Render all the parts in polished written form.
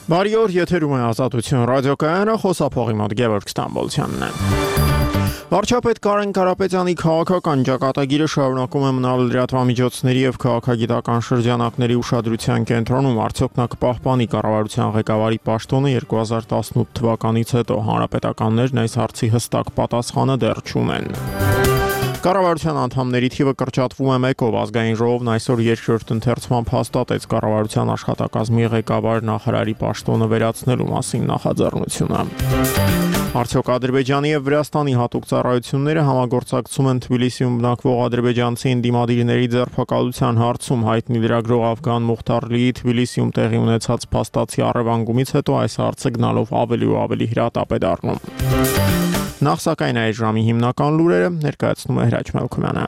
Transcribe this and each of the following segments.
Բարի օր, եթերում է Ազատություն ռադիոկայանը, խոսափողի մոտ Գևորգ Ստամբոլցյանն է։ Վարչապետ Կարեն Կարապետյանի քաղաքական ճակատագիրը շարունակում է մնալ լրատվամիջոցների եւ քաղաքագիտական շրջանակների ուշադրության կենտրոնում, արդյոք նա կպահպանի կառավարության ղեկավարի պաշտոնը 2018 թվականից հետո։ Հանրապետականներն այս հարցի հստակ պատասխանը դեռ չունեն։ Կառավարության անդամների թիվը կրճատվում է 1-ով, ազգային ժողովն այսօր երկրորդ ընթերցմամբ հաստատեց կառավարության աշխատակազմի ղեկավար նախարարի պաշտոնը վերացնելու մասին նախաձեռնությունը։ Արդյոք Ադրբեջանի եւ Վրաստանի հատուկ ծառայությունները համագործակցում են Թբիլիսիում բնակվող ադրբեջանցի ընդդիմադիրների ձերբակալության հարցում, հայտնի լրագրող Աֆգան Մուխտարլիի Թբիլիսիում տեղի ունեցած փաստացի առևանգումից հետո այս հարցը գնալով ավելի ու ավելի հրատապ է դառնում։ Նախ սակայն այս ժամի հիմնական լուրերը ներկայացնում է Հրաչ Մելքումյանը։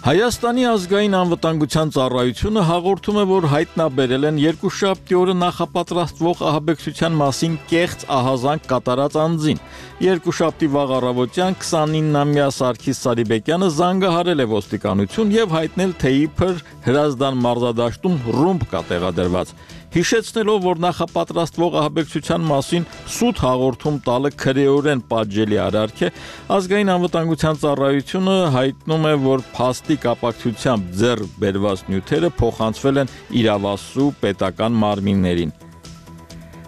Հայաստանի ազգային անվտանգության ծառայությունը հաղորդում է, որ հայտնաբերել են երկուշաբթի օրը նախապատրաստվող ահաբեկչության մասին կեղծ ահազանգ կատարած անձին։ Երկուշաբթի վաղ առավոտյան 29-ամյա Սարգիս Սարիբեկյանը զանգահարել է ոստիկանություն եւ հայտնել, թե իբր Հրազդան մարզադաշտում ռումբ կա տեղադրված։ Հիշեցնելով, որ նախապատրաստվող ահաբեկչության մասին սուտ հաղորդում տալը քրեորեն պատժելի արարք է, ազգային անվտանգության ծառայությունը հայտնում է, որ փաստի կապակցությամբ ձեռք բերված նյութերը փոխանցվել են իրավասու պետական մարմիններին։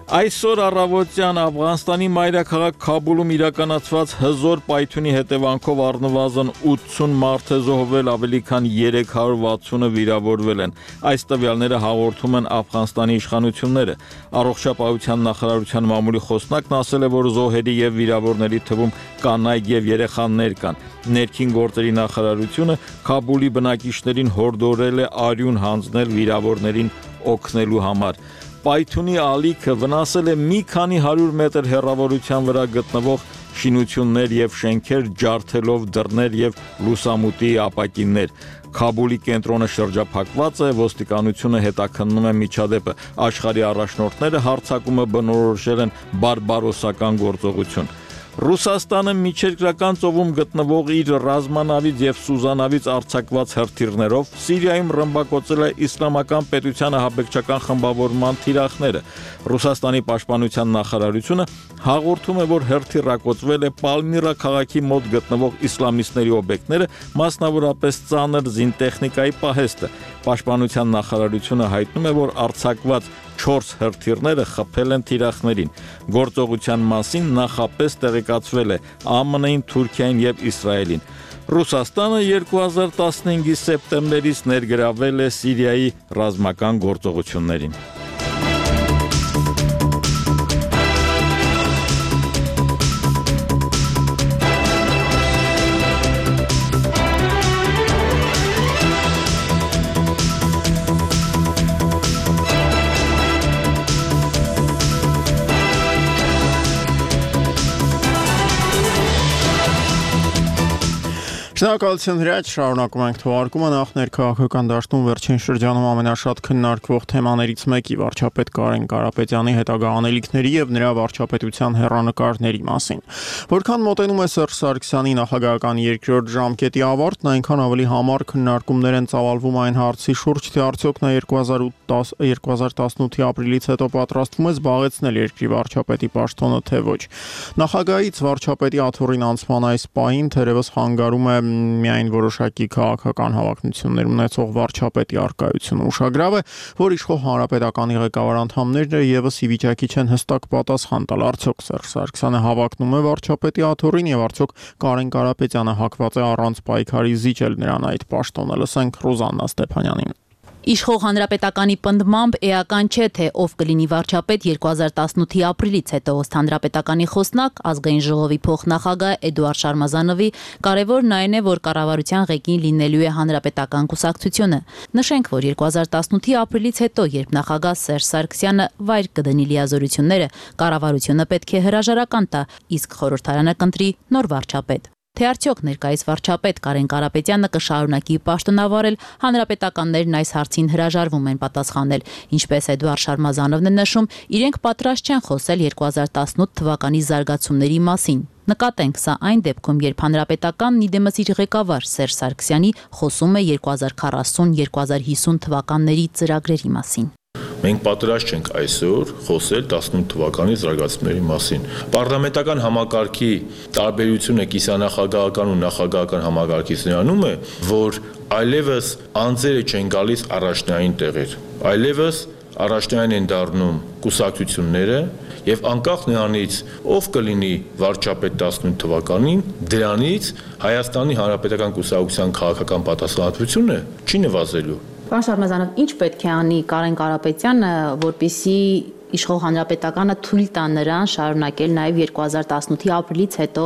Այսօր առավոտյան Աֆղանստանի մայրաքաղաք Քաբուլում իրականացված հզոր պայթյունի հետևանքով առնվազն 80 մարդ է զոհվել, ավելի քան 360-ը վիրավորվել են։ Այս տվյալները հաղորդում են Աֆղանստանի իշխանությունները։ Առողջապահության նախարարության մամուլի խոսնակն ասել է, որ զոհերի եւ վիրավորների թվում կանայք եւ երեխաներ կան։ Ներքին գործերի նախարարությունը Քաբուլի բնակիչներին հորդորել է արյուն հանձնել վիրավորներին օգնելու համար։ Պայթյունի ալիքը վնասել է մի քանի 100 մետր հեռավորության վրա գտնվող շինություններ եւ շենքեր, ջարդելով դռներ եւ լուսամուտի ապակիններ։ Քաբուլի կենտրոնը շրջափակված է, ոստիկանությունը հետաքննում է միջադեպը։ Աշխարհի առաջնորդները հարձակումը բնորոշել են բարբարոսական գործողություն։ Ռուսաստանը միջերկրական ծովում գտնվող իր ռազմանավից եւ սուզանավից արձակված հրթիռներով Սիրիայում ռմբակոծել է իսլամական պետության ահաբեկչական խմբավորման թիրախները։ Ռուսաստանի պաշտպանության նախարարությունը հաղորդում է, որ հրթիռակոծվել է Պալմիրա քաղաքի մոտ գտնվող իսլամիստների օբյեկտները, մասնավորապես ծանր զինտեխնիկայի պահեստը։ Պաշտպանության նախարարությունը հայտնում է, որ արձակված 4 հրթիռները խփել են թիրախներին։ Գործողության մասին նախապես տեղեկացվել է ԱՄՆ-ին, Թուրքիային եւ Իսրայելին։ Ռուսաստանը 2015-ի սեպտեմբերից ներգրավել է Սիրիայի ռազմական գործողություններին։ Շնորհակալություն Հրաչ, շարունակում ենք թողարկումը։ Նախ ներքաղաքական դաշտում վերջին շրջանում ամենաշատ քննարկվող թեմաներից մեկի վարչապետ Կարեն Կարապետյանի հետագա անելիքների եւ նրա վարչապետության հեռանկարների մասին։ Որքան մոտենում է Սերժ Սարգսյանի նախագահական երկրորդ ժամկետի ավարտն, այնքան ավելի համառ քննարկումներ են ծավալվում այն հարցի շուրջ, թե արդյոք նա 2018-ի ապրիլից հետո պատրաստվում է զբաղեցնել երկրի վարչապետի պաշտոնը, թե ոչ։ Նախագահից վարչապետի աթոռին անցման այս պահին թերևս հանգարում է միայն որոշակի քաղաքական հավակնություններ ունեցող վարչապետի առկայությունը։ Ուշագրավ է, որ իշխող հանրապետականի ղեկավար անդամներն եւս ի վիճակի չեն հստակ պատասխան տալ, արդյոք Սերժ Սարգսյանը հավակնում է վարչապետի աթոռին եւ արդյոք Կարեն Կարապետյանը հակված է առանց պայքարի զիջել նրան այդ պաշտոնը։ Լսենք Ռուզաննա Ստեփանյանին։ Իշխող հանրապետականի պնդմամբ էական չէ, թե ով կլինի վարչապետ 2018-ի ապրիլից հետո, ըստ հանրապետականի խոսնակ, ազգային ժողովի փոխնախագահ Էդուարդ Շարմազանովի, կարևորն այն է, որ կառավարության ղեկին լինելու է հանրապետական կուսակցությունը։ Նշենք, որ 2018-ի ապրիլից հետո, երբ նախագահ Սերժ Սարգսյանը վայր կդնի լիազորությունները, կառավարությունը պետք է հրաժարական տա, իսկ խորհրդարանը կընտրի նոր վարչապետ։ Թե արդյոք ներկայիս վարչապետ Կարեն Կարապետյանը կշարունակի պաշտոնավարել, հանրապետականներն այս հարցին հրաժարվում են պատասխանել, ինչպես Էդուարդ Շարմազանովն է նշում, իրենք պատրաստ չեն խոսել 2018 թվականի զարգացումների մասին։ Նկատենք, սա այն դեպքում, երբ հանրապետականն իդեմս իր ղեկավար Սերժ Սարգսյանի խոսում է 2040-2050 թվականների ծրագրերի մասին։ Մենք պատրաստ չենք այսօր խոսել 18 թվականի զարգացումների մասին։ Պարլամենտական համակարգի տարբերությունը կիսանախագահական ու նախագահական համակարգից նրանում է, որ այլևս անձերը չեն գալիս առաջնային տեղեր, այլևս առաջնային են դառնում կուսակցությունները եւ անկախ նրանից ով կլինի վարչապետ 18 թվականին, դրանից Հայաստանի Հանրապետական կուսակցության քաղաքական պատասխանատվությունը չի նվազելու։ Պարոն Շարմազանով, ինչ պետք է անի Կարեն Կարապետյանը, որպեսզի իշխող հանրապետականը թույլ տա նրան շարունակել նաև 2018-ի ապրիլից հետո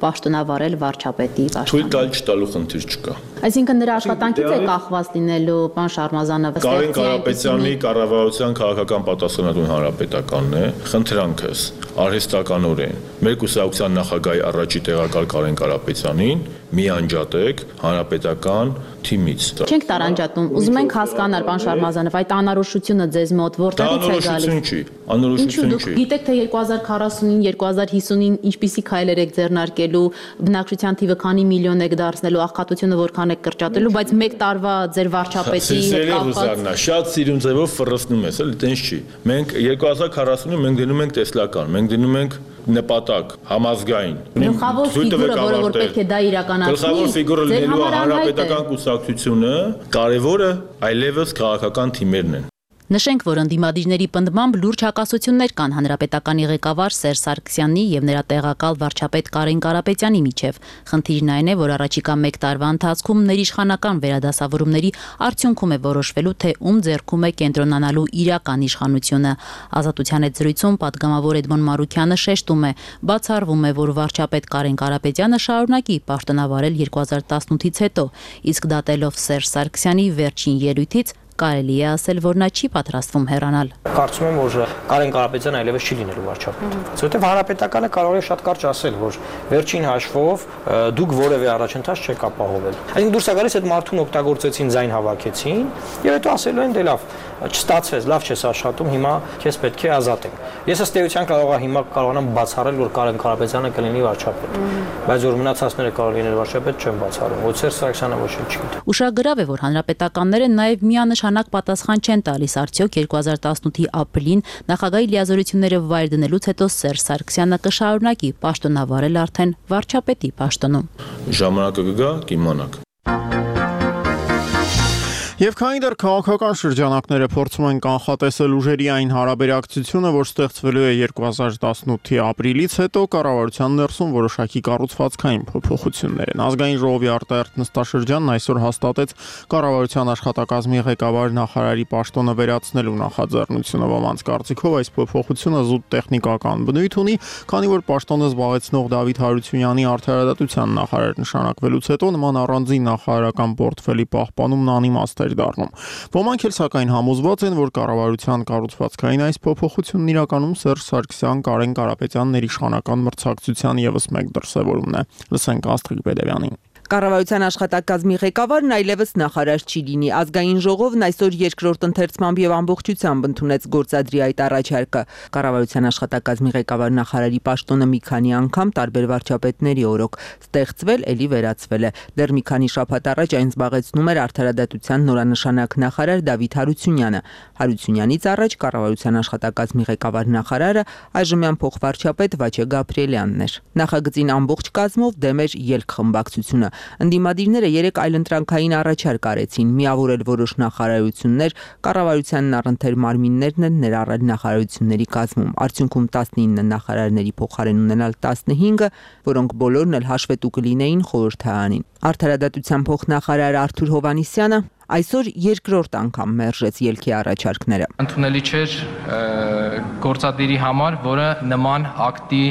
պաշտոնավարել վարչապետի պաշտոնը։ Թույլ տալ չտալու խնդիր չկա։ Այսինքն նրա աշխատանքից է կախված լինելու, պարոն Շարմազանով, Կարեն Կարապետյանի կառավարության քաղաքական պատասխանատուն հանրապետականն է, խնդրանքս արհեստականորեն մեր կուսակցության նախագահի առաջի տեղակալ Կարեն Կարապետյանին մի անջատեք հանրապետական թիմից։ Չենք տարանջատում, ուզում ենք հասկանալ, պարոն Շարմազանով, այդ անորոշությունը ձեզ մոտ որտեղից է գալիս։ Անորոշություն չի։ Գիտեք, թե 2040-ին, 2050-ին ինչպիսի քայլեր եք ձեռնարկելու, բնակչության թիվը քանի միլիոն եք դարձնելու, աղքատությունը որքան եք կրճատելու, բայց մեկ տարվա ձեր վարչապետի հետ կապված։ Շատ սիրուն ձևով ֆռռացնում ես, էլի տենց չի։ Մենք 2040-ին մենք դնում ենք տեսլական, մենք դնում ենք նպատակ համազգային։ Գլխավոր ֆիգուրը, որը որ պետք է դա իրականացնի, գլխավոր ֆիգուրը լինելու հանրապետական կուսակցությունը, կարևորը այլևս քաղաքական թիմերն են։ Նշենք, որ ընդդիմադիրների պնդմամբ լուրջ հակասություններ կան հանրապետականի ղեկավար Սերժ Սարգսյանի եւ նրա տեղակալ վարչապետ Կարեն Կարապետյանի միջև։ Խնդիրն այն է, որ առաջիկա 1 տարվա ընթացքում ներիշխանական վերադասավորումների արդյունքում է որոշվելու, թե ում ձեռքում է կենտրոնանալու իրական իշխանությունը։ Ազատության հետ զրույցում պատգամավոր Էդմոն Մարուքյանը շեշտում է, բացառվում է, որ վարչապետ Կարեն Կարապետյանը շարունակի պաշտոնավարել 2018-ից հետո, իսկ դատելով Սերժ Սարգսյանի վերջին ելույթից կարելի է ասել, որ նա չի պատրաստվում հեռանալ։ Կարծում եմ, որ Կարեն Կարապետյանը այլևս չի լինելու վարչապետ։ Որովհետև հանրապետականը կարող է շատ կարճ ասել, որ վերջին հաշվով դուք որևէ առաջընթաց չեք ապահովել։ Այսինքն դուրս է գալիս այդ մարդուն օգտագործեցին, ձայն հավաքեցին, եւ հետո ասելու են դե լավ, չստացվեց, լավ չես աշխատում, հիմա քեզ պետք է ազատենք։ Ես ըստ էության կարող եմ հիմա կարողանամ բացառել, որ Կարեն Կարապետյանը կլինի վարչապետ, բայց որ մնացածները կարող լինեն վարչապետ, չեմ բացառում։ Ոչ Սերժ Սարգսյանը ոչինչ չգիտի։ Ուշագրավ է, որ հանրապետականները նաև միանշանակ պատասխան չեն տալիս արդյոք 2018-ի ապրիլին նախագահի լիազորությունները վայր դնելուց հետո Սերժ Սարգսյանը կշարունակի պաշտոնավարել արդեն վարչապետի պաշտոնում։ Ժամանակը կգա, կիմանաք։ Եվ քանի դեռ քաղաքական շրջանակները փորձում են կանխատեսել ուժերի այն հարաբերակցությունը, որ ստեղծվելու է 2018-ի ապրիլից հետո, կառավարության ներսում որոշակի կառուցվածքային փոփոխություններ են։ Ազգային ժողովի արտահերթ նստաշրջանն այսօր հաստատեց կառավարության աշխատակազմի ղեկավար նախարարի պաշտոնը վերացնելու նախաձեռնությունը։ Ոմանց կարծիքով այս փոփոխությունը զուտ տեխնիկական բնույթ ունի, քանի որ պաշտոնը զբաղեցնող Դավիթ Հարությունյանի արդարադատության նախարար նշանակվելուց հետո նման առանձին նախարարական պորտֆելի պահպանումն անիմաստ դառնում։ Ոմանք էլ սակայն համոզված են, որ կառավարության կառուցվածքային այս փոփոխությունն իրականում Սերժ Սարգսյան, Կարեն Կարապետյան ներիշխանական մրցակցության եւս մեկ դրսևորումն է։ Լսենք Աստղիկ Բեդևյանին։ Կառավարության աշխատակազմի ղեկավարն այլևս նախարար չի լինի։ Ազգային ժողովն այսօր երկրորդ ընթերցմամբ եւ ամբողջությամբ ընդունեց գործադրի այդ առաջարկը։ Կառավարության աշխատակազմի ղեկավար նախարարի պաշտոնը մի քանի անգամ տարբեր վարչապետների օրոք ստեղծվել, ելի վերացվել է։ Դեռ մի քանի շաբաթ առաջ այն զբաղեցնում էր արդարադատության նորանշանակ նախարար Դավիթ Հարությունյանը։ Հարությունյանից առաջ կառավարության աշխատակազմի ղեկավար նախարարը այժմյան փոխվարչապետ Վաչե Գաբրիելյանն էր։ Նախագծին ամբողջ կազմով դեմ էր ելքխմբակցությունը։ Ընդդիմադիրները 3 այլընտրանքային առաջարկ արեցին՝ միավորել որոշ նախարարություններ, կառավարությանն առընթեր մարմիններն են ներառել նախարարությունների կազմում։ Արդյունքում 19 նախարարների փոխարեն ունենալ 15-ը, որոնք բոլորն էլ հաշվետու կլինեին խորհրդարանին։ Արդարադատության փոխնախարար Արթուր Հովհաննիսյանը այսօր երկրորդ անգամ մերժեց ելքի առաջարկները։ Ընդունելի չէր գործադիրի համար, որը նման ակտի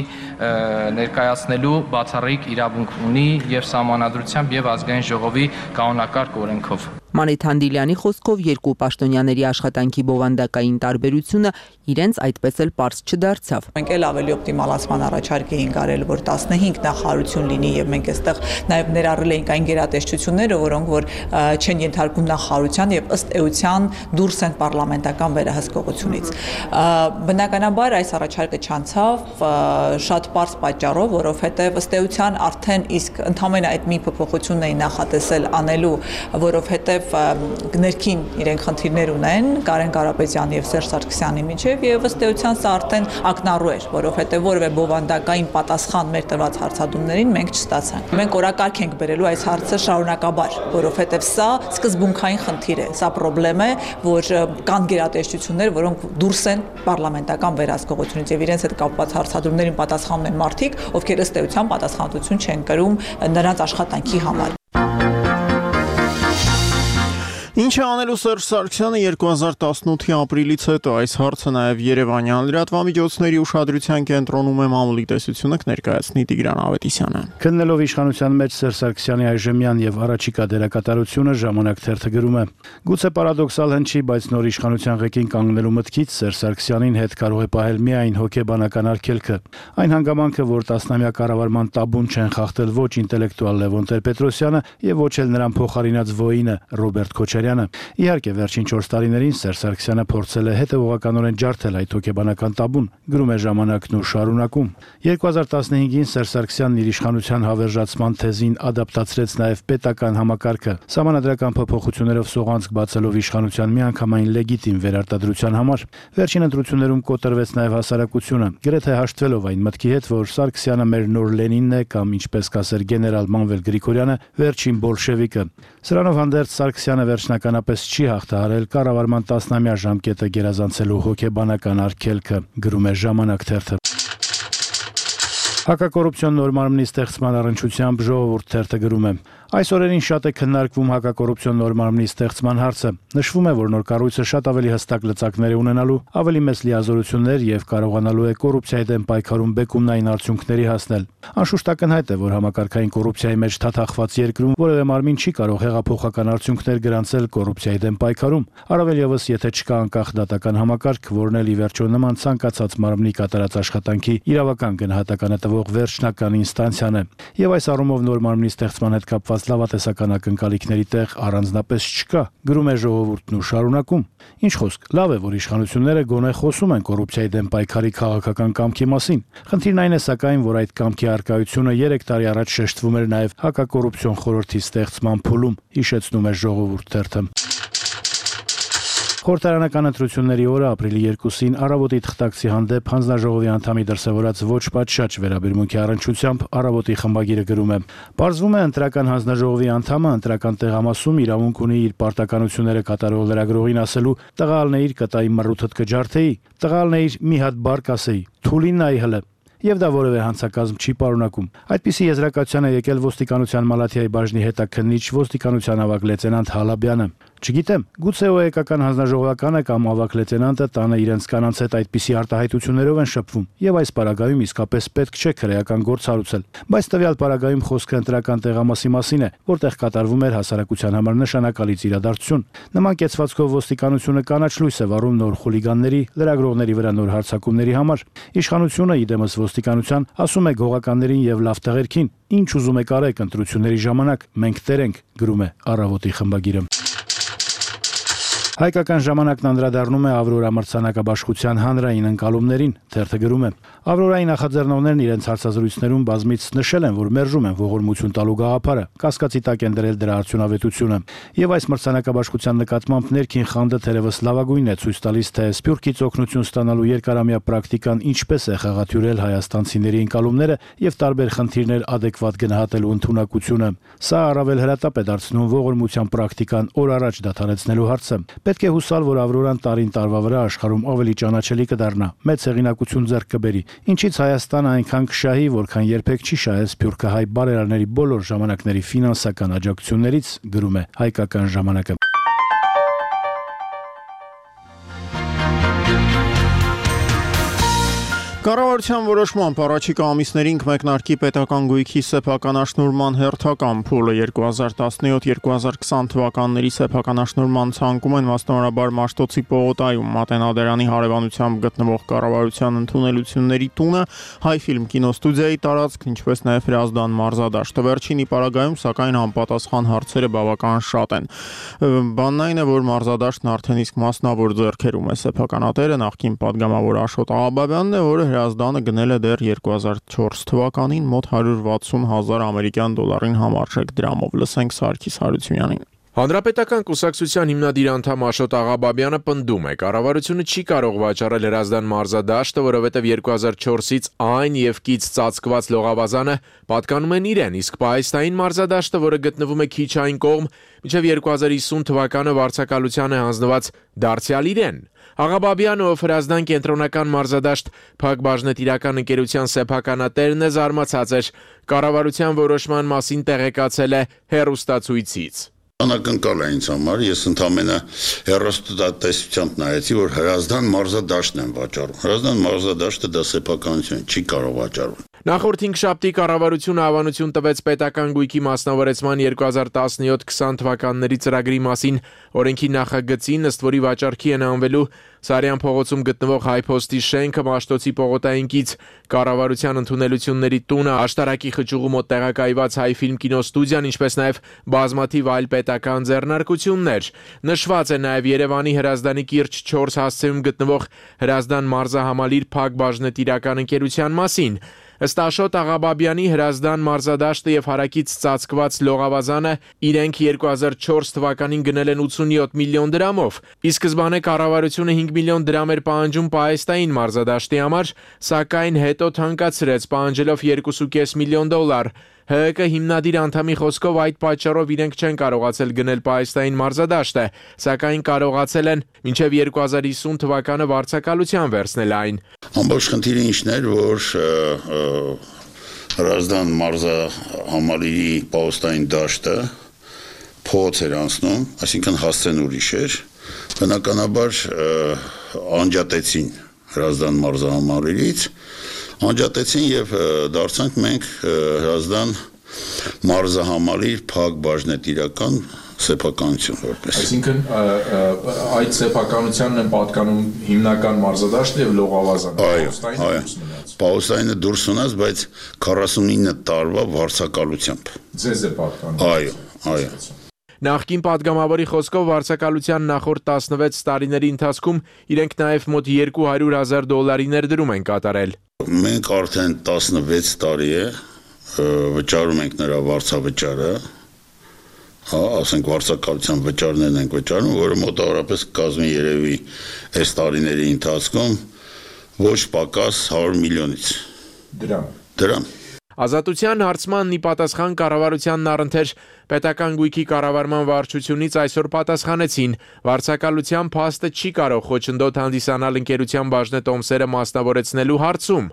ներկայացնելու բացառիկ իրավունք ունի եւ սահմանադրությամբ եւ ազգային ժողովի կանոնակարգ օրենքով։ Մանեթ Հանդիլյանի խոսքով երկու պաշտոնյաների աշխատանքի բովանդակային տարբերությունը իրենց այդպես էլ պարզ չդարձավ։ Մենք էլ ավելի օպտիմալացման առաջարկ էինք արել, որ 15 նախարարություն լինի եւ մենք այստեղ նաեւ ներառել էինք այն գերատեսչությունները, որոնք որ չեն ենթարկում նախարարության եւ ըստ էության դուրս են պարլամենտական վերահսկողությունից։ Բնականաբար այս առաջարկը չանցավ շատ པարզ պատճառով, որովհետև ըստ էության արդեն իսկ ընդհանրապես այդ մի փոփոխությունն էին նախատեսել անելու, որովհետև ներքին իրենք խնդիրներ ունեն Կարեն Կարապետյանի եւ Սերժ Սարգսյանի միջեւ եւ ըստ էության սա արդեն ակնառու էր, որովհետև որևէ բովանդակային պատասխան մեր տված հարցադրումներին մենք չստացանք։ Մենք օրակարգ ենք բերելու այս հարցը շարունակաբար, որովհետև սա սկզբունքային խնդիր է, սա խնդրեմ է, որ կան գերատեսչություններ, որոնք դուրս են պարլամենտական վերահսկողությունից եւ իրենց հետ կապված հարցադրումներին պատասխանում են մարդիկ, ովքեր ըստ էության պատասխանատվություն չեն կրում նրանց աշխատանքի համար։ Ինչ է անելու Սերժ Սարգսյանը 2018-ի ապրիլից հետո այս հարցը նաև Երևանյան լրատվամիջոցների ուշադրության կենտրոնում է մամուլի տեսությունը կներկայացնի Տիգրան Ավետիսյանը։ Քննելով իշխանության մեջ Սերժ Սարգսյանի այժմյան եւ առաջիկա դերակատարությունը ժամանակ թերթը գրում է. Գուցե պարադոքսալ հնչի, բայց նոր իշխանության ղեկին կանգնելու մտքից Սերժ Սարգսյանին հետ կարող է պահել միայն հոգեբանական արգելքը։ Այն հանգամանքը, որ տասնամյա կառավարման տաբուն չեն խախտել ոչ ինտելեկտուալ Լևոն Տեր-Պետրոսյանը եւ ոչ էլ նրան փոխարինած ոինը Ռոբերտ Քոչարյանը։ Իհարկե, վերջին 4 տարիներին Սերժ Սարգսյանը փորձել է հետևողականորեն ջարդել այդ հոգեբանական տաբուն, գրում է ժամանակն ու շարունակում։ 2015-ին Սերժ Սարգսյանն իր իշխանության հավերժացման թեզին ադապտացրեց նաև պետական համակարգը, սահմանադրական փոփոխություններով սողանցք բացելով իշխանության միանգամայն լեգիտիմ վերարտադրության համար։ Վերջին ընտրություններում կոտրվեց նաև հասարակությունը, գրեթե հաշտվելով այն մտքի հետ, որ Սարգսյանը մեր նոր Լենինն է կամ ինչպես կասեր գեներալ Մանվել Գրիգորյանը, վերջին բոլշևիկը։ Սրանով հանդերձ Սարգսյանը վերջնականապես չի հաղթահարել կառավարման 10-ամյա ժամկետը գերազանցելու հոգեբանական արգելքը, գրում է ժամանակ թերթը։ Հակակոռուպցիոն նոր մարմնի ստեղծման առնչությամբ Ժողովուրդ թերթը գրում է. Այս օրերին շատ է քննարկվում հակակոռուպցիոն նոր մարմնի ստեղծման հարցը։ Նշվում է, որ նոր կառույցը շատ ավելի հստակ լծակներ է ունենալու, ավելի մեծ լիազորություններ եւ կարողանալու է կոռուպցիայի դեմ պայքարում բեկումնային արդյունքների հասնել։ Անշուշտ ակնհայտ է, որ համակարգային կոռուպցիայի մեջ թաթախված երկրում որևէ մարմին չի կարող հեղափոխական արդյունքներ գրանցել կոռուպցիայի դեմ պայքարում, առավել եւս եթե չկա անկախ դատական համակարգ, որն էլ ի վերջո նման ցանկացած մարմնի կատարած աշխատանքի իրավական գնահատականը տվող վերջնական ինստանցիան է։ Եվ այս առումով նոր մարմնի ստեղծման հետ կապված լավատեսական ակնկալիքների տեղ առանձնապես չկա, գրում է Ժողովուրդն ու շարունակում։ Ինչ խոսք, լավ է, որ իշխանությունները գոնե խոսում են կոռուպցիայի դեմ պայքարի քաղաքական կամքի մասին։ Խնդիրն այն է սակայն, որ այդ կամքի արկայությունը 3 տարի առաջ շեշտվում էր նաև հակակոռուպցիոն խորհրդի ստեղծման փուլում, հիշեցնում է Ժողովուրդ թերթը։ Խորհրդարանական ընտրությունների օրը ապրիլի 2-ին Առավոտի թղթակցի հանդեպ հանձնաժողովի անդամի դրսևորած ոչ պատշաճ վերաբերմունքի առնչությամբ Առավոտի խմբագիրը գրում է. Պարզվում է ընտրական հանձնաժողովի անդամը ընտրական տեղամասում իրավունք ունի իր պարտականությունները կատարող լրագրողին ասելու տղալն է իր կտայի մռութդ կջարդեի, տղալն է իր մի հատ բառ կասեի, թուլին նայի հլը։ Եվ դա որևէ հանցակազմ չի պարունակում։ Այդպիսի եզրակացության է եկել ոստիկանության Մալաթիայի բաժնի հետաքննիչ ոստիկանության ավագ լեյտենանտ Հալաբյանը։ Չգիտեմ, գուցե ՕԵԿ-ական հանձնաժողովականը կամ ավագ լեյտենանտը տանը իրենց կանանց հետ այդպիսի արտահայտություններով են շփվում, եւ այս պարագայում իսկապես պետք չէ քրեական գործ հարուցել։ Բայց տվյալ պարագայում խոսքը ընտրական տեղամասի մասին է, որտեղ կատարվում էր հասարակության համար նշանակալից իրադարձություն։ Նման կեցվածքով ոստիկանությունը կանաչ լույս է վառում նոր խուլիգանների, լրագրողների վրա նոր հարձակումների համար։ Իշխանությունը իդեմս ոստիկանության ասում է գողականներին եւ լավ տղերքին. «Ինչ ուզում եք արեք ընտրությունների ժամանակ, մենք տեր ենք», գրում է Առավոտի խմբագիրը։ Հայկական ժամանակն անդրադառնում է Ավրորա մրցանակաբաշխության հանրային ընկալումներին, թերթը գրում է. Ավրորայի նախաձեռնողներն իրենց հարցազրույցներում բազմից նշել են, որ մերժում են ողորմություն տալու գաղափարը, կասկածի տակ են դրել դրա արդյունավետությունը։ Եվ այս մրցանակաբաշխության նկատմամբ ներքին խանդը թերևս լավագույնն է ցույց տալիս, թե Սփյուռքից օգնություն ստանալու երկարամյա պրակտիկան ինչպես է խեղաթյուրել հայաստանցիների ընկալումները եւ տարբեր խնդիրներ adekvat գնահատելու ընդունակությունը։ Սա առավել հրատապ է դարձնում ողորմության պրակտիկան օր առաջ դադարեցնելու հարցը։ Պետք է հուսալ, որ Ավրորան տարին տարվա վրա աշխարհում ավելի ճանաչելի կդառնա, մեծ հեղինակություն ձեռք կբերի, ինչից Հայաստանը այնքան կշահի, որքան երբեք չի շահել սփյուռքահայ բարերարների բոլոր ժամանակների ֆինանսական աջակցություններից, գրում է Հայկական ժամանակը։ Կառավարության որոշմամբ առաջիկա ամիսներին կմեկնարկի պետական գույքի սեփականաշնորհման հերթական փուլը 2017-2020 թվականների սեփականաշնորհման ցանկում են մասնավորաբար Մաշտոցի պողոտայում Մատենադարանի հարևանությամբ գտնվող կառավարության ընդունելությունների տունը, Հայ ֆիլմ կինոստուդիայի տարածքն, ինչպես նաև Հրազդան մարզադաշտը։ Վերջինի պարագայում սակայն անպատասխան հարցերը բավական շատ են։ Բանն այն է, որ մարզադաշտն արդեն իսկ մասնավոր ձեռքերում է սեփականատերը նախկին падգամավոր Աշոտ Աղաբաբյանն է, որը Հրազդանը գնել է դեռ 2004 թվականին մոտ 160,000 ամերիկյան դոլարին համարժեք դրամով։ Լսենք Սարգիս Հարությունյանին։ Հանրապետական կուսակցության հիմնադիր անդամ Աշոտ Աղաբաբյանը պնդում է, կառավարությունը չի կարող վաճառել Հրազդան մարզադաշտը, որովհետև 2004-ից այն եւ կից ծածկված լողավազանը պատկանում են իրեն, իսկ պահեստային մարզադաշտը, որը գտնվում է քիչ այն կողմ, մինչև 2050 թվականը վարձակալության է հանձնված դարձյալ իրեն։ Աղաբաբյանը, ով Հրազդան կենտրոնական մարզադաշտ Փակ բաժնետիրական ընկերության սեփականատերն է, զարմացած էր, կառավարության որոշման մասին տեղեկացել է հեռուստացույցից։ Անակնկալ է ինձ համար, ես ընդամենը հեռուստատեսությամբ նայեցի, որ Հրազդան մարզադաշտն են վաճառում։ Հրազդան մարզադաշտը դա սեփականություն չի կարող վաճառել։ Նախորդ 5 շաբթի կառավարությունը հավանություն տվեց պետական գույքի մասնավորեցման 2017-20 թվականների ծրագրի մասին օրենքի նախագծին, ըստ որի վաճառքի են անվելու Սարյան փողոցում գտնվող Հայփոստի շենքը, Մաշտոցի պողոտային կից կառավարության ընդունելությունների տունը, Աշտարակի խճուղու մոտ տեղակայված Հայ ֆիլմ կինոստուդիան, ինչպես նաև բազմաթիվ այլ պետական ձեռնարկություններ։ Նշված է նաև Երևանի Հրազդանի կիրճ 4 հասցեում գտնվող Հրազդան մարզահամալիր Փակ բաժնետիրական ընկերության մասին։ Ըստ Աշոտ Աղաբաբյանի, Հրազդան մարզադաշտը եւ հարակից ծածկված լողավազանը իրենք 2004 թվականին գնել են 87 միլիոն դրամով։ Ի սկզբանե կառավարությունը 5 միլիոն դրամ էր պահանջում պահեստային մարզադաշտի համար, սակայն հետո թանկացրեց, պահանջելով 2.5 միլիոն դոլար։ ՀՀԿ հիմնադիր անդամի խոսքով այդ պատճառով իրենք չեն կարողացել գնել պահեստային մարզադաշտը, սակայն կարողացել են մինչև 2050 թվականը վարձակալության վերցնել այն։ Ամբողջ խնդիրը ինչն էր, որ Հրազդան մարզահամալիրի պահեստային դաշտը փոց էր անցնում, այսինքն հասցեն ուրիշ էր, բնականաբար անջատեցին Հրազդան մարզահամալիրից, անջատեցին եւ դարձանք մենք Հրազդան մարզահամալիր Փակ բաժնետիրական սեփականություն որպես։ Այսինքն այդ սեփականությանն են պատկանում հիմնական մարզադաշտը եւ լողավազանը։ Պահեստայինը դուրս ունած, բայց 49 տարվա վարձակալությամբ։ Ձեզ է պատկանում։ Այո։ Նախկին падգամավորի խոսքով վարձակալության նախորդ 16 տարիների ընթացքում իրենք նաև մոտ 200,000 դոլարի ներդրում են կատարել։ Մենք արդեն 16 տարի է վճարում ենք նրա վարձավճարը, ասենք վարձակալության վճարներն ենք վճարում, որը մոտավորապես կազմի երևի այս տարիների ընթացքում ոչ պակաս 100 միլիոնից դրամ։ Ազատության հարցմանն ի պատասխան կառավարությանն առընթեր պետական գույքի կառավարման վարչությունից այսօր պատասխանեցին, վարձակալության փաստը չի կարող խոչընդոտ հանդիսանալ ընկերության բաժնետոմսերը մասնավորեցնելու հարցում։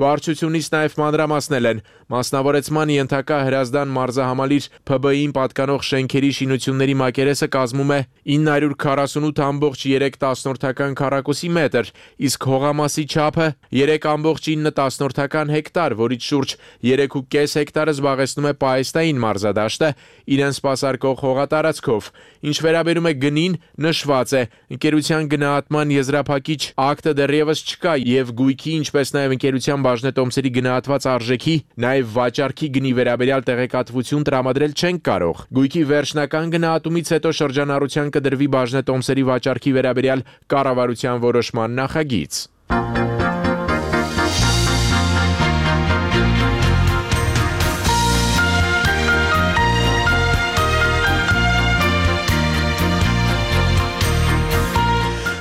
Վարչությունից նաև մանրամասնել են, մասնավորեցման ենթակա Հրազդան մարզահամալիր ՓԲ-ին պատկանող շենքերի շինությունների մակերեսը կազմում է 948.3 քառակուսի մետր, իսկ հողամասի չափը 3.9 հեկտար, որից շուրջ 3.5 հեկտարը զբաղեցնում է պահեստային մարզադաշտը իրեն սպասարկող հողատարածքով։ Ինչ վերաբերում է գնին, նշված է, ընկերության գնահատման եզրափակիչ ակտը դեռևս չկա եւ գույքի, ինչպես նաև ընկերության բաժնետոմսերի գնահատված արժեքի, նաև վաճառքի գնի վերաբերյալ տեղեկատվություն տրամադրել չենք կարող։ Գույքի վերջնական գնահատումից հետո շրջանառության կդրվի բաժնետոմսերի վաճառքի վերաբերյալ կառավարության որոշման նախագիծ։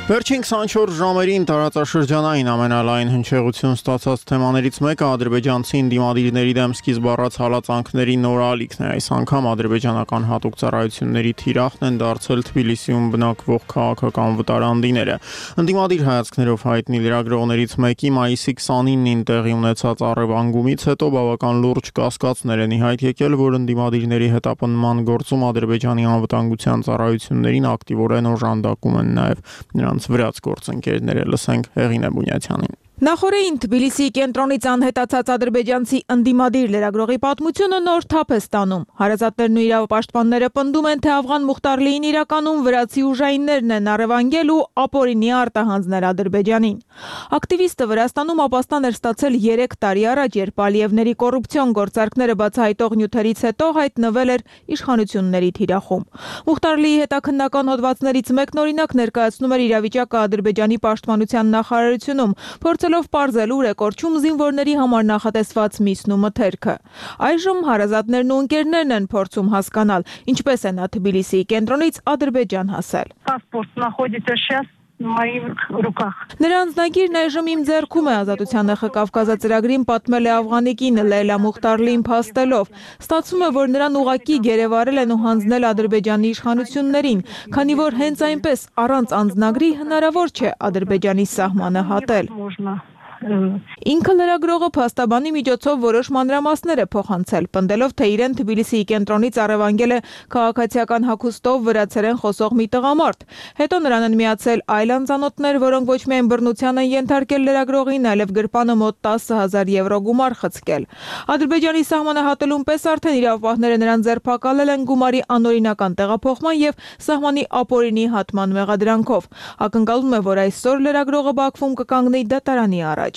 Վերջին 24 ժամերին տարածաշրջանային ամենալայն հնչեղություն ստացած թեմաներից մեկը ադրբեջանցի ընդդիմադիրների դեմ սկիզբ առած հալածանքների նոր ալիքն է։ Այս անգամ ադրբեջանական հատուկ ծառայությունների թիրախն են դարձել Թբիլիսիում բնակվող քաղաքական վտարանդիները։ Ընդդիմադիր հայացքներով հայտնի լրագրողներից մեկի մայիսի 29-ին տեղի ունեցած առևանգումից հետո բավական լուրջ կասկածներ են ի հայտ եկել, որ ընդդիմադիրների հետապնդման գործում Ադրբեջանի անվտանգության ծառայություններին ակտիվորեն օժանդակում են նաև նրանց վրաց գործընկերները։ Լսենք Հեղինե Բունյացյանին։ Նախորդին Թբիլիսիի կենտրոնից անհետացած ադրբեջանցի ընդդիմադիր լրագրողի պատմությունը նոր թափ է ստանում։ Հարազատներն ու իրավապաշտպանները պնդում են, թե Աֆղան Մուխտարլիին իրականում վրացի ուժայիններն են առևանգել ու ապօրինի արտահանձնել Ադրբեջանին։ Ակտիվիստը Վրաստանում ապաստան էր ստացել 3 տարի առաջ, երբ Ալիևների կոռուպցիոն գործարքները բացահայտող նյութերից հետո հայտնվել էր իշխանությունների թիրախում։ Մուխտարլիի հետաքննական հոդվածներից մեկն օրինակ ներկայացնում էր իրավիճակը Ադրբեջանի պաշտպանության նախարարությունում, փորձելով պարզել ուր է կորչում զինվորների համար նախատեսված միսն ու մթերքը։ Այժմ հարազատներն ու ընկերներն են փորձում հասկանալ, ինչպես է նա Թբիլիսիի կենտրոնից Ադրբեջան հասել։ Նրա անձնագիրն այժմ իմ ձեռքում է, Ազատության ՀԽ Կավկազացրագրին պատմել է Աֆղանի կինը Լեյլա Մուխտարլիին փաստելով։ Ստացվում է, որ նրան ուղղակի գերեվարել են ու հանձնել Ադրբեջանի իշխանություններին, քանի որ հենց այնպես առանց անձնագրի հնարավոր չէ Ադրբեջանի սահմանը հատել։ Ինքը լրագրողը փաստաբանի միջոցով որոշ մանրամասներ է փոխանցել, պնդելով, թե իրեն Թբիլիսիի կենտրոնից առևանգել է քաղաքացիական հագուստով վրացերեն խոսող մի տղամարդ։ Հետո նրան են միացել այլ անծանոթներ, որոնք ոչ միայն բռնության են ենթարկել լրագրողին, այլև գրպանը մոտ 10,000 եվրո գումար խցկել։ Ադրբեջանի սահմանը հատելուն պես արդեն իրավապահները նրան ձերբակալել են գումարի անօրինական տեղափոխման եւ սահմանի ապօրինի հատման մեղադրանքով։ Ակնկալվում է, որ այսօր լրագրողը Բաքվում կկանգնի դատարանի առաջ։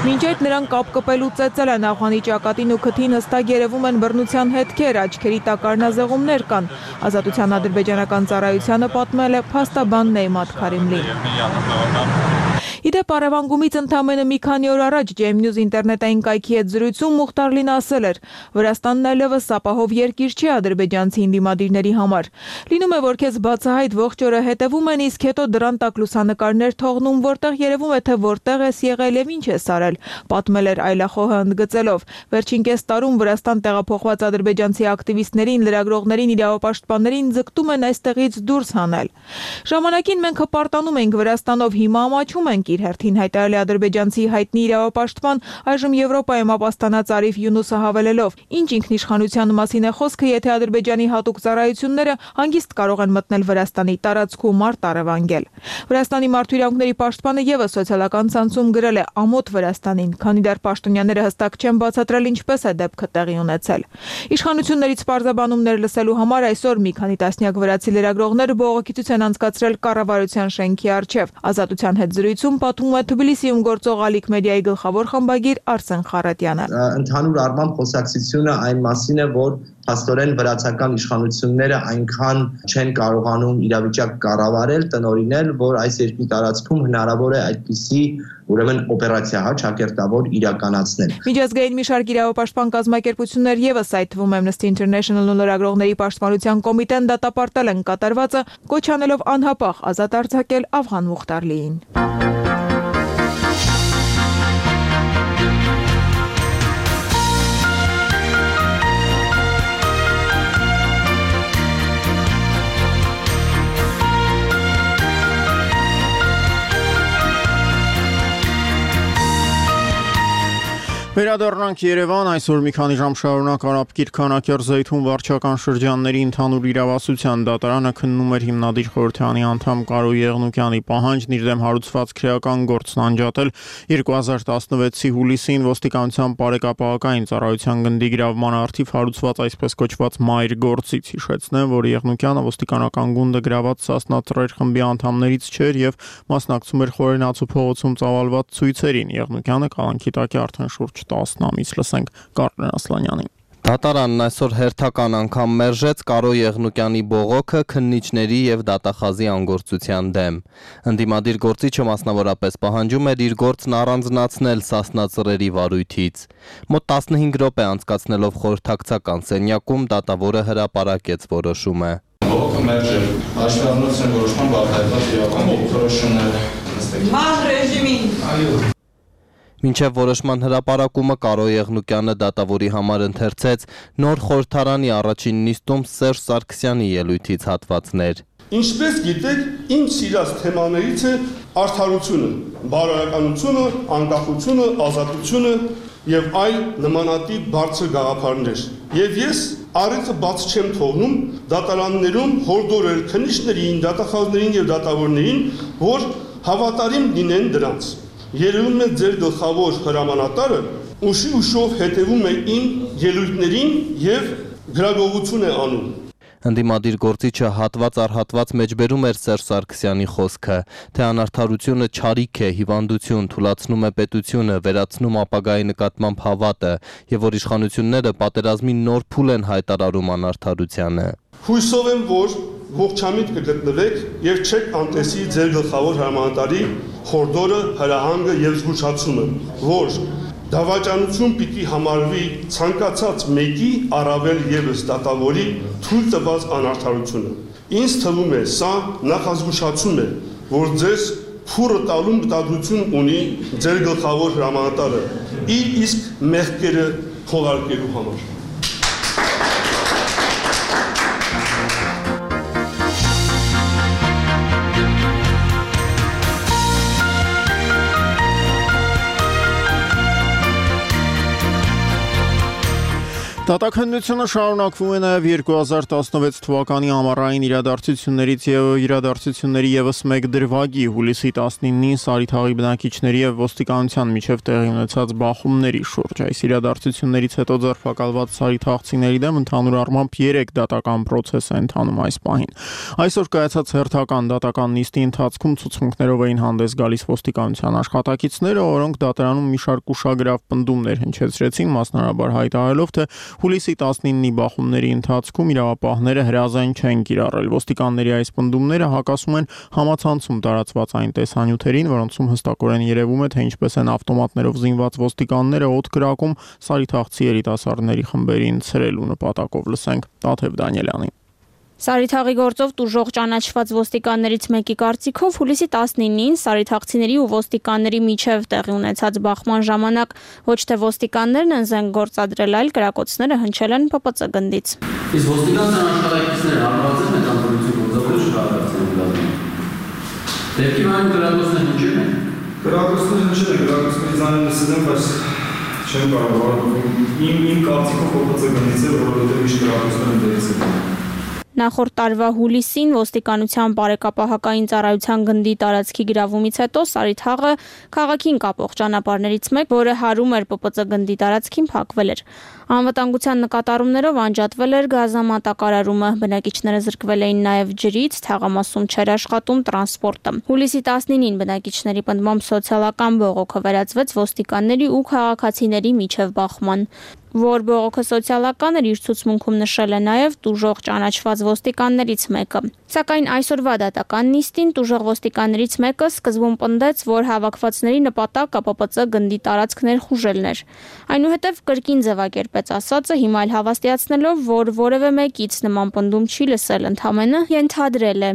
Մինչ այդ նրան կապ կպելու ծեծել են Աֆղանի ճակատին ու քթին հստակ երևում են բռնության հետքեր, աչքերի տակ առնազեղումներ կան։ Ազատության ադրբեջանական ծառայությանը պատմել է փաստաբան Նեյմաթ Քարիմլին։ Իդեպ առևանգումից ընդամենը մի քանի օր առաջ Ջեյմ Նյուզ ինտերնետային կայքի հետ զրույցում Մուխտարլին ասել էր. Վրաստանն այլևս ապահով երկիր չէ ադրբեջանցի ընդդիմադիրների համար։ Լինում է, որ քեզ բացահայտ ողջ օրը հետևում են, իսկ հետո դրան տակ լուսանկարներ թողնում, որտեղ երևում է, թե որտեղ ես եղել եւ ինչ ես արել, պատմել էր այլախոհը ընդգծելով։ Վերջին կես տարում Վրաստան տեղափոխված ադրբեջանցի ակտիվիստներին, լրագրողներին, իրավապաշտպաններին ձգտում են այստեղից դուրս հանել։ Ժամանակին մենք հպարտանում ենք Վրաստանով, հիմա ամաչում ենք, իր հերթին հայտարարել է ադրբեջանցի հայտնի իրավապաշտպան, այժմ Եվրոպայում ապաստանած Արիֆ Յունուսը հավելելով. Ինչ ինքնիշխանության մասին է խոսքը, եթե Ադրբեջանի հատուկ ծառայությունները հանգիստ կարող են մտնել Վրաստանի տարածքում մարդ առևանգել։ Վրաստանի մարդու իրավունքների պաշտպանը եւս սոցիալական ցանցում գրել է ամոթ Վրաստանին, քանի դեռ պաշտոնյաները հստակ չեն բացատրել ինչպես է դեպքը տեղի ունեցել։ Իշխանություններից պարզաբանումներ լսելու համար այսօր մի քանի տասնյակ վրացի լրագրողներ բողոքություն են անցկացրել կառավարության շենքի առջև։ Ազատության հետ զրույցում պատմում է Թբիլիսիում գործող Ալիք մեդիայի գլխավոր խմբագիր Արսեն Խարատյանը։ Ընդհանուր առմամբ խոսակցությունը այն մասին է, որ փաստորեն վրացական իշխանությունները այնքան չեն կարողանում իրավիճակ կառավարել, տնօրինել, որ այս երկրի տարածքում հնարավոր է այդպիսի ուրեմն օպերացիա ճակերտավոր իրականացնել։ Միջազգային մի շարք իրավապաշտպան կազմակերպություններ եւս այդ թվում Amnesty International-ն ու լրագրողների պաշտպանության կոմիտեն դատապարտել են կատարվածը, կոչ անելով անհապաղ ազատ արձակել Աֆղան Մուխտարլիին։ Վերադառնանք Երևան, այսօր մի քանի ժամ շարունակ Արաբկիր Քանակյար Զեյթուն վարչական շրջանների ընդհանուր իրավասության դատարանը քննում էր հիմնադիր խորհրդանի անդամ Կարո Եղնուկյանի պահանջն իր դեմ հարուցված քրեական գործն անջատել 2016-ի հուլիսին ոստիկանության բարեկապահական ծառայության գնդի գրավման արդիվ հարուցված այսպես կոչված մայր գործից հիշեցնեմ, որ Եղնուկյանը ոստիկանական գունդը գրաված Սասնա Ծռեր խմբի անդամներից չէր եւ մասնակցում էր Խորենացու փողոցում ծավալված ցույցերին։ Եղնուկյանը կալանքի տակ է արդեն շուրջ 10 ամիս, լսենք Կարեն Ասլանյանին։ Դատարանն այսօր հերթական անգամ մերժեց Կարո Եղնուկյանի բողոքը քննիչների եւ դատախազի անգործության դեմ։ Ընդդիմադիր գործիչը մասնավորապես պահանջում էր իր գործն առանձնացնել Սասնա Ծռերի վարույթից։ Մոտ 15 րոպե անցկացնելով խորհրդակցական սենյակում դատավորը հրապարակեց որոշումը։ Բողոքը մերժել, հաշվի առնելով որոշման բացահայտված իրական որոշումները։ Ման ռեժիմին։ Այո։ Մինչև որոշման հրապարակումը Կարո Եղնուկյանը դատավորի համար ընթերցեց նոր խորհրդարանի առաջին նիստում Սերժ Սարգսյանի ելույթից հատվածներ։ Ինչպես գիտեք, իմ սիրած թեմաներից է արդարությունը, բարոյականությունը, անկախությունը, ազատությունը եւ այլ նմանատիպ բարձր գաղափարներ։ Եվ ես առիթը բաց չեմ թողնում դատարաններում հորդորել քննիչներին, դատախազներին եւ դատավորներին, որ հավատարիմ լինեն դրանց։ երևում է ձեր գլխավոր հրամանատարը ուշով հետևում է իմ ելույթներին եւ գրագողություն է անում։ Ընդդիմադիր գործիչը հատված առ հատված մեջբերում էր Սերժ Սարգսյանի խոսքը, թե անարդարությունը չարիք է, հիվանդություն, թուլացնում է պետությունը, վերացնում ապագայի նկատմամբ հավատը եւ որ իշխանությունները պատերազմի նոր փուլ են հայտարարում անարդարությանը։ Հույսով եմ, որ ողջամիտ կգտնվեք եւ չեք անտեսի ձեր գլխավոր հրամանատարի խորդորը, հրահանգը եւ զգուշացումը, որ դավաճանություն պիտի համարվի ցանկացած մեկի առավել եւս դատավորի թույլ տված անարդարությունը։ Ինձ թվում է, սա նախազգուշացում է, որ ձեզ փուրը տալու մտադրություն ունի ձեր գլխավոր հրամանատարը իր իսկ մեղքերը խողարկելու համար։ Դատաքննությունը շարունակվում է նաև 2016 թվականի ամառային իրադարձություններից եւ իրադարձությունների եւս մեկ դրվագի հուլիսի 19-ին Սարիթաղի բնակիչների եւ ոստիկանության միջև տեղի ունեցած բախումների շուրջ։ Այս իրադարձություններից հետո ձերբակալված սարիթաղցիների դեմ ընդհանուր առմամբ 3 դատական պրոցես է ընթանում այս պահին։ Այսօր կայացած հերթական դատական նիստի ընթացքում ցուցմունքներով էին հանդես գալիս ոստիկանության աշխատակիցները, որոնք դատարանում մի շարք ուշագրավ պնդումներ հնչեցրեցին, մասնարարաբար հայտարարելով, թե հուլիսի 19-ի բախումների ընթացքում իրավապահները հրազեն չեն կիրառել։ Ոստիկանների այս պնդումները հակասում են համացանցում տարածված այն տեսանյութերին, որոնցում հստակորեն երևում է, թե ինչպես են ավտոմատներով զինված ոստիկանները օդ կրակում սարիթաղցի երիտասարդների խմբերին ցրելու նպատակով։ Լսենք Տաթև Դանիելյանին։ Սարիթաղի գործով տուժող ճանաչված ոստիկաններից մեկի կարծիքով հուլիսի 19-ին սարիթաղցիների ու ոստիկանների միջև տեղի ունեցած բախման ժամանակ ոչ թե ոստիկաններն են զենք գործադրել, այլ կրակոցները հնչել են ՊՊՑ գնդից։ Իսկ ոստիկանության աշխատակիցները հարվածել են անդորություն գործադրել շահագրացիան։ Դեպքի ման կրակոցները հնչել են։ Կրակոցները հնչել են, կրակոցների ձայնը լսել եմ, բայց չեմ կարող իմ կարծիքով ՊՊՑ գնդից է, որովհետև միշտ կրակոցները դերից են։ Նախորդ տարվա հուլիսին ոստիկանության բարեկապահական ծառայության գնդի տարածքի գրավումից հետո Սարիթաղը քաղաքին կապող ճանապարհներից մեկ, որը հարում էր ՊՊՑ գնդի տարածքին, փակվել էր։ Անվտանգության նկատառումներով անջատվել էր գազամատակարարումը, բնակիչները զրկվել էին նաև ջրից, թաղամասում չէր աշխատում տրանսպորտը։ Հուլիսի 19-ին բնակիչների պնդմամբ սոցիալական բողոքը վերածվեց ոստիկանների ու քաղաքացիների միջև բախման։ Որ բողոքը սոցիալական էր, իր ցուցմունքում նշել է նաև տուժող ճանաչված ոստիկաններից մեկը։ Սակայն այսօրվա դատական նիստին տուժող ոստիկաններից մեկը սկզբում պնդեց, որ հավաքվածների նպատակը ՊՊՑ գնդի տարածք ներխուժելն էր։ Այնուհետև կրկին ձևակերպեց ասածը, հիմա էլ հավաստիացնելով, որ որևէ մեկից նման պնդում չի լսել, ընդամենը ենթադրել է։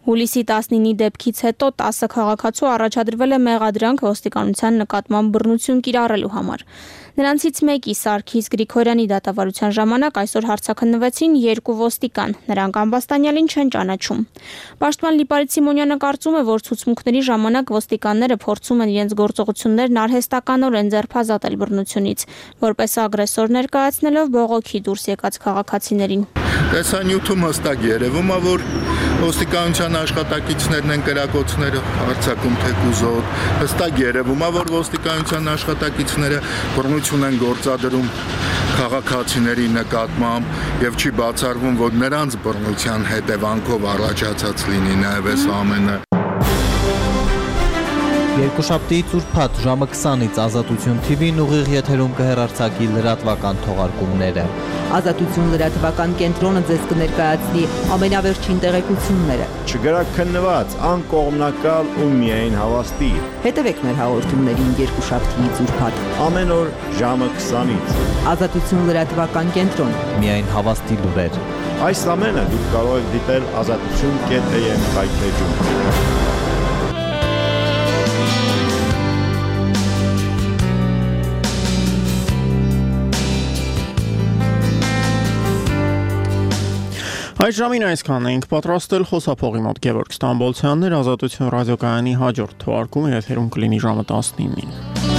Հուլիսի 19-ի դեպքից հետո 10 քաղաքացու առաջադրվել է մեղադրանք ոստիկանության նկատմամբ բռնություն կիրառելու համար։ Նրանցից մեկի Սարգիս Գրիգորյանի դատավարության ժամանակ այսօր հարցաքննվեցին 2 ոստիկան, նրանք ամբաստանյալին չեն ճանաչում։ Պաշտպան Լիպարիտ Սիմոնյանը կարծում է, որ ցուցմունքների ժամանակ ոստիկանները փորձում են իրենց գործողություններն արհեստականորեն ձերբազատել բռնությունից, որպես ագրեսոր ներկայացնելով բողոքի դուրս եկած քաղաքացիներին։ Տեսանյութում հստակ երևում է, որ ոստիկանության աշխատակիցներն են կրակոցները արձակում թեկուզոտ, հստակ երևում է, որ ոստիկանության աշխատակիցները բռնություն են գործադրում քաղաքացիների նկատմամբ եւ չի բացառվում, որ նրանց բռնության հետևանքով առաջացած լինի նաեւ այս ամենը։ Երկուշաբթիից ուրբաթ ժամը 20-ից Ազատություն TV-ն ուղիղ եթերում կհեռարձակի լրատվական թողարկումները։ Ազատություն լրատվական կենտրոնը ձեզ կներկայացնի ամենավերջին տեղեկությունները։ Չգրակ քննված, անկողմնակալ ու միայն հավաստի։ Հետևեք մեր հաղորդումներին երկուշաբթիից ուրբաթ ամեն օր ժամը 20-ից։ Ազատություն լրատվական կենտրոն։ Միայն հավաստի լուրեր։ Այս ամենը դուք կարող եք դիտել azatutun.am կայքեջում։ Այս ժամին այսքանն ենք պատրաստել խոսափողի մոտ Գևորգ Ստամբոլցյանն էր, Ազատություն ռադիոկայանի հաջորդ թողարկումը եթերում կլինի ժամը 19-ին։